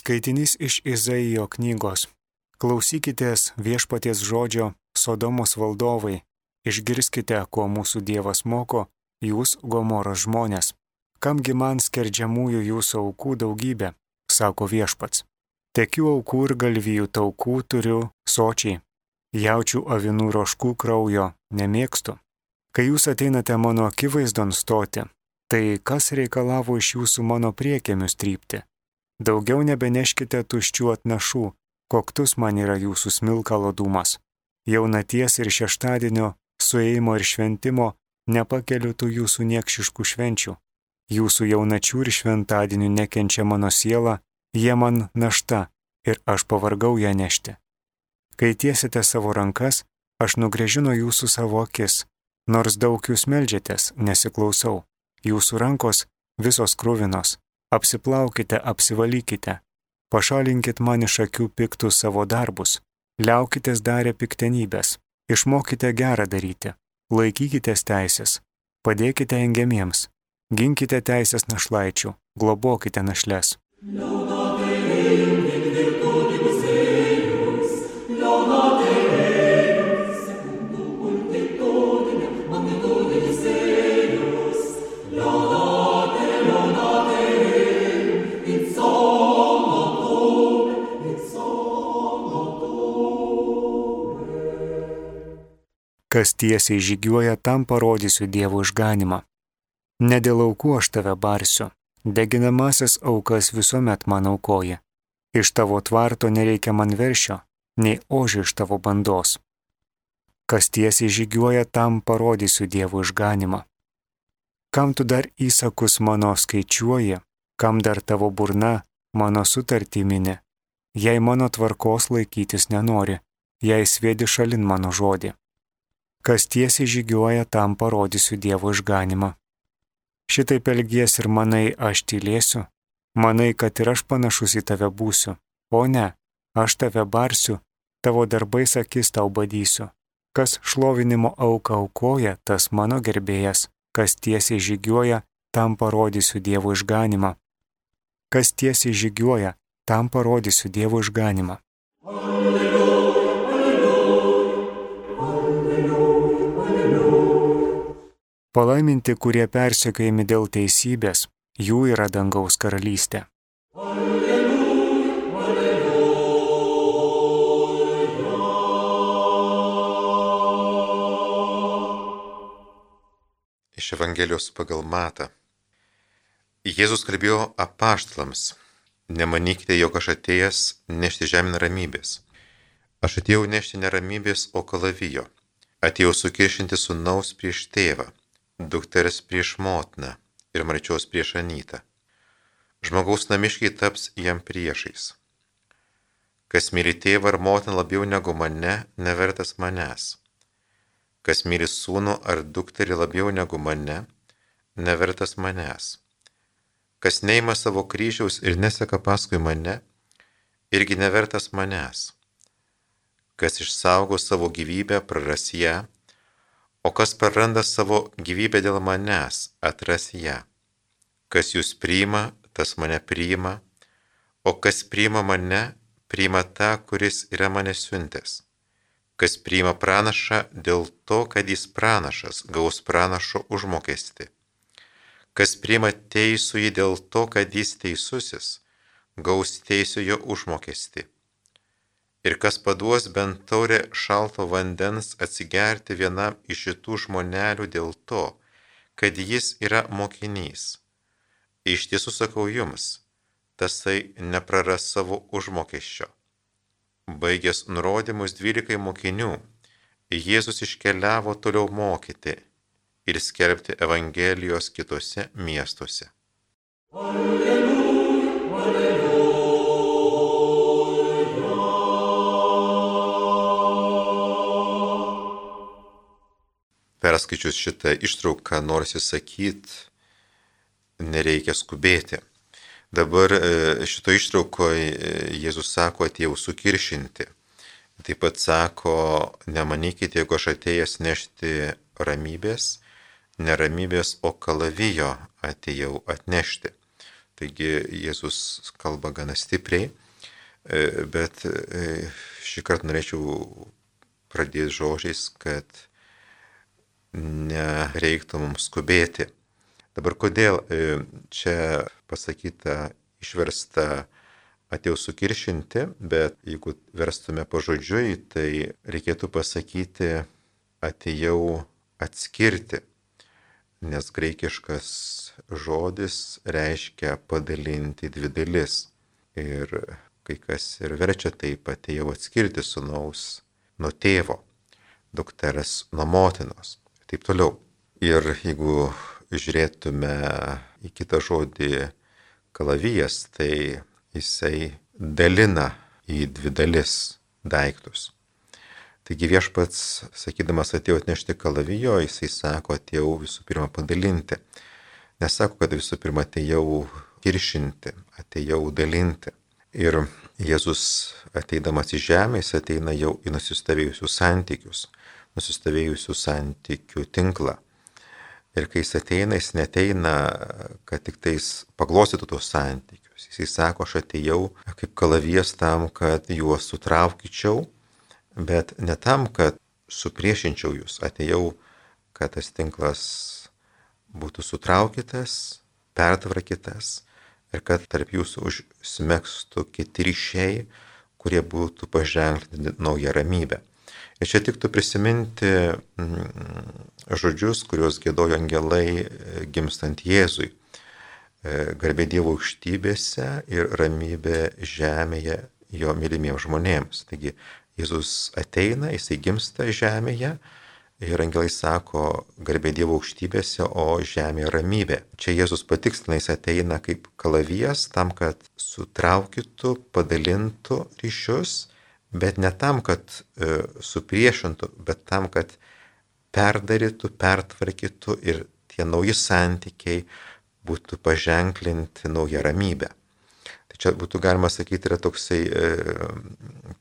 Skaitinys iš Izaijo knygos. Klausykitės viešpaties žodžio, Sodomos valdovai, išgirskite, ko mūsų Dievas moko, jūs Gomoros žmonės. Kamgi man skerdžiamųjų jūsų aukų daugybė, sako viešpats. Tekių aukų ir galvijų taukų turiu sočiai, jaučių avinų roškų kraujo nemėgstu. Kai jūs ateinate mano akivaizdon stoti, tai kas reikalavo iš jūsų mano priekėmius trypti? Daugiau nebeneškite tuščių atnašų, koktus man yra jūsų smilkalo dūmas. Jaunaties ir šeštadienio, suėjimo ir šventimo nepakeliu tų jūsų niekšiškų švenčių. Jūsų jaunačių ir šventadienių nekenčia mano siela, jie man našta ir aš pavargau ją nešti. Kai tiesite savo rankas, aš nugrėžinu jūsų savo akis, nors daug jūs meldžiatės, nesiklausau. Jūsų rankos visos kruvinos. Apsiplaukite, apsivalykite, pašalinkit man iš akių piktus savo darbus, liaukitės darę piktenybės, išmokite gerą daryti, laikykitės teisės, padėkite engiamiems, ginkite teisės našlaičių, globokite našles. Kas tiesiai žygiuoja, tam parodysiu Dievo išganimą. Ne dėl aukų aš tave barsiu, deginamasis aukas visuomet man aukoji. Iš tavo tvarto nereikia man veršio, nei ožio iš tavo bandos. Kas tiesiai žygiuoja, tam parodysiu Dievo išganimą. Kam tu dar įsakus mano skaičiuoji, kam dar tavo burna mano sutartį mini, jei mano tvarkos laikytis nenori, jei sviedi šalin mano žodį. Kas tiesiai žygiuoja, tam parodysiu Dievo išganimą. Šitaip elgies ir manai, aš tylėsiu, manai, kad ir aš panašus į tave būsiu, o ne, aš tave barsiu, tavo darbais akis tau badysiu. Kas šlovinimo auką aukoja, tas mano gerbėjas, kas tiesiai žygiuoja, tam parodysiu Dievo išganimą. Kas tiesiai žygiuoja, tam parodysiu Dievo išganimą. Palaiminti, kurie persekiojami dėl teisybės, jų yra dangaus karalystė. Iš Evangelijos pagal Matą. Jėzus kalbėjo apaštalams: nemanykite, jog aš atėjęs nešti žemėn ramybės. Aš atėjau nešti ne ramybės, o kalavijo. Atėjau sukiršinti sūnaus prieš tėvą, dukters prieš motiną ir marčios prieš anytą. Žmogaus namiškiai taps jam priešais. Kas myli tėvą ar motiną labiau negu mane, nevertas manęs. Kas myli sūnų ar dukterį labiau negu mane, nevertas manęs. Kas neima savo kryžiaus ir neseka paskui mane, irgi nevertas manęs. Kas išsaugo savo gyvybę, praras ją, o kas praranda savo gyvybę dėl manęs, atras ją. Kas jūs priima, tas mane priima, o kas priima mane, priima tą, kuris yra mane siuntęs. Kas priima pranašą dėl to, kad jis pranašas, gaus pranašo užmokestį. Kas priima teisųjį dėl to, kad jis teisusis, gaus teisiojo užmokestį. Ir kas paduos bent taurę šalto vandens atsigerti vienam iš šitų žmonelių dėl to, kad jis yra mokinys. Iš tiesų sakau jums, tasai nepraras savo užmokesčio. Baigęs nurodymus 12 mokinių, Jėzus iškeliavo toliau mokyti ir skelbti Evangelijos kitose miestuose. Alleluja, alleluja. Perskaičius šitą ištrauką norisi sakyti, nereikia skubėti. Dabar šito ištraukoje Jėzus sako, atėjau sukiršinti. Taip pat sako, nemanykite, jeigu aš atėjęs nešti ramybės, neramybės, o kalavijo atėjau atnešti. Taigi Jėzus kalba gana stipriai, bet šį kartą norėčiau pradėti žodžiais, kad nereiktų mums skubėti. Dabar kodėl čia pasakyta, išversta atėjau sukiršinti, bet jeigu verstume pažodžiui, tai reikėtų pasakyti atėjau atskirti, nes graikiškas žodis reiškia padalinti dvi dalis. Ir kai kas ir verčia taip, atėjau atskirti sūnaus nuo tėvo, dukteras nuo motinos ir taip toliau. Ir jeigu žiūrėtume į kitą žodį kalavijas, tai jisai dalina į dvi dalis daiktus. Taigi viešpats, sakydamas atėjau atnešti kalavijo, jisai sako atėjau visų pirma padalinti. Nesako, kad visų pirma atėjau kiršinti, atėjau dalinti. Ir Jėzus ateidamas į žemę, jis ateina jau į nusistovėjusius santykius, nusistovėjusių santykių tinklą. Ir kai jis ateina, jis neteina, kad tik tais paglostytų tos santykius. Jis sako, aš atėjau kaip kalavijas tam, kad juos sutraukyčiau, bet ne tam, kad supriešinčiau jūs. Atėjau, kad tas tinklas būtų sutraukytas, pertvarkytas ir kad tarp jūsų užsmegstų kiti ryšiai, kurie būtų paženklinti naują ramybę. Ir čia tiktų prisiminti žodžius, kuriuos giedojo angelai gimstant Jėzui. Garbė Dievo aukštybėse ir ramybė žemėje jo mylimiems žmonėms. Taigi Jėzus ateina, jisai gimsta žemėje ir angelai sako garbė Dievo aukštybėse, o žemėje ramybė. Čia Jėzus patikslina, jis ateina kaip kalavijas tam, kad sutraukytų, padalintų ryšius, bet ne tam, kad supriešintų, bet tam, kad perdarytų, pertvarkytų ir tie nauji santykiai būtų paženklinti naują ramybę. Tai čia būtų galima sakyti, yra toksai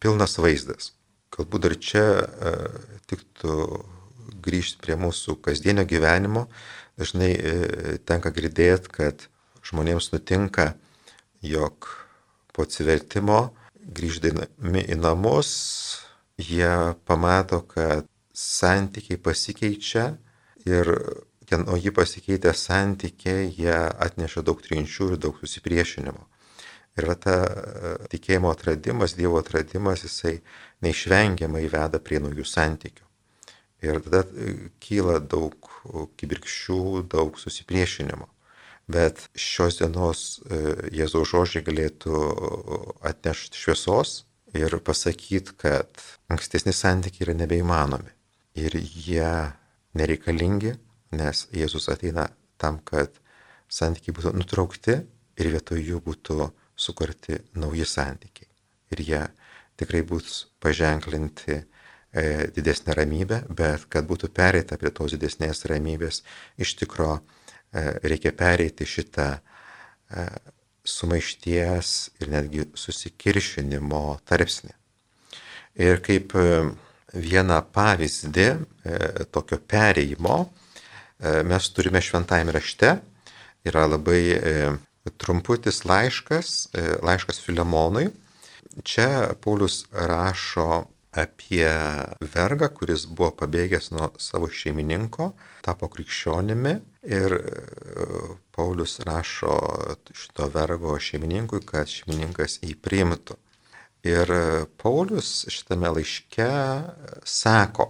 pilnas vaizdas. Galbūt dar čia tiktų grįžti prie mūsų kasdienio gyvenimo. Dažnai tenka girdėti, kad žmonėms nutinka, jog po atsivertimo grįždami į namus, jie pamato, kad santykiai pasikeičia ir nauji pasikeitę santykiai, jie atneša daug trinčių ir daug susipriešinimo. Ir ta tikėjimo atradimas, Dievo atradimas, jisai neišvengiamai veda prie naujų santykių. Ir tada kyla daug kibirkščių, daug susipriešinimo. Bet šios dienos Jėzaus žodžiai galėtų atnešti šviesos ir pasakyti, kad ankstesni santykiai yra nebeįmanomi. Ir jie nereikalingi, nes Jėzus ateina tam, kad santykiai būtų nutraukti ir vietoj jų būtų sukurti nauji santykiai. Ir jie tikrai bus paženklinti didesnę ramybę, bet kad būtų pereita prie tos didesnės ramybės, iš tikro reikia pereiti šitą sumaišties ir netgi susikiršinimo tarpsnį. Ir kaip vieną pavyzdį tokio perėjimo mes turime šventajame rašte. Yra labai trumputis laiškas Filemonui. Čia Paulius rašo apie vergą, kuris buvo pabėgęs nuo savo šeimininko, tapo krikščionimi ir Paulius rašo šito vergo šeimininkui, kad šeimininkas jį priimtų. Ir Paulius šitame laiške sako,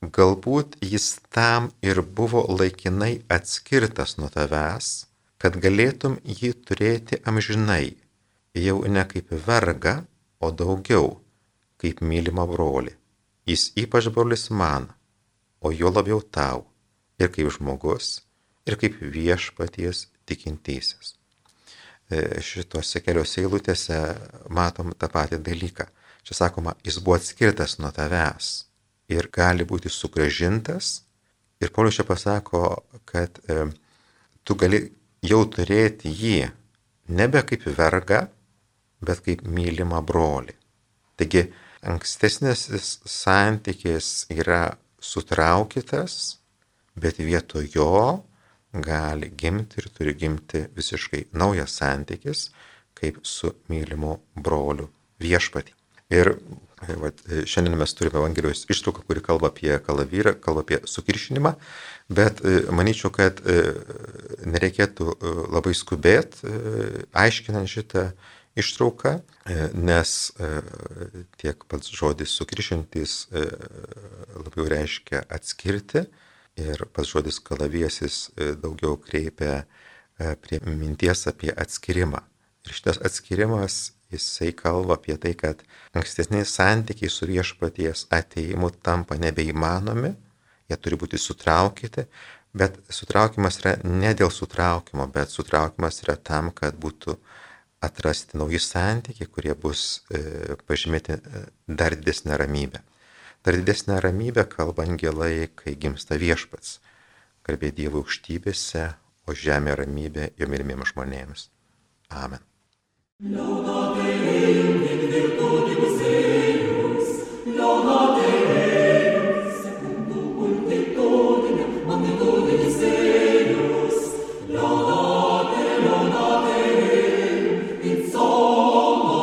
galbūt jis tam ir buvo laikinai atskirtas nuo tavęs, kad galėtum jį turėti amžinai, jau ne kaip vergą, o daugiau kaip mylimą brolį. Jis ypač brolis man, o jo labiau tau, ir kaip žmogus, ir kaip viešpaties tikintysis. Šitose keliose eilutėse matom tą patį dalyką. Čia sakoma, jis buvo atskirtas nuo tavęs ir gali būti sugrąžintas. Ir Paulius čia pasako, kad tu gali jau turėti jį nebe kaip vergą, bet kaip mylimą brolį. Taigi, ankstesnis santykis yra sutraukytas, bet vietoj jo gali gimti ir turi gimti visiškai naujas santykis, kaip su mylimu broliu viešpatį. Ir šiandien mes turime Evangelijos ištrauką, kuri kalba apie kalavyrą, kalba apie sukiršinimą, bet manyčiau, kad nereikėtų labai skubėti aiškinant šitą ištrauką, nes tiek pats žodis sukiršintis labiau reiškia atskirti ir pats žodis kalaviesis daugiau kreipia prie minties apie atskirimą. Ir šitas atskirimas, jisai kalba apie tai, kad ankstesniai santykiai su viešpaties ateimu tampa nebeįmanomi, jie turi būti sutraukyti, bet sutraukimas yra ne dėl sutraukimo, bet sutraukimas yra tam, kad būtų atrasti nauji santykiai, kurie bus pažymėti dar didesnę ramybę. Dar didesnę ramybę kalba angelai, kai gimsta viešpats. Garbė Dievo aukštybėse, o žemė ramybė jo mylimiems žmonėms. Amen. Laudate Deum in virtutibus eius, laudate Deum secundum multitudinem magnitudinis eius, laudate Deum in somno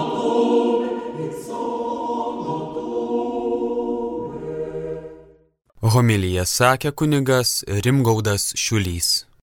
Homiliją sakė kunigas Rimgaudas Šiulys.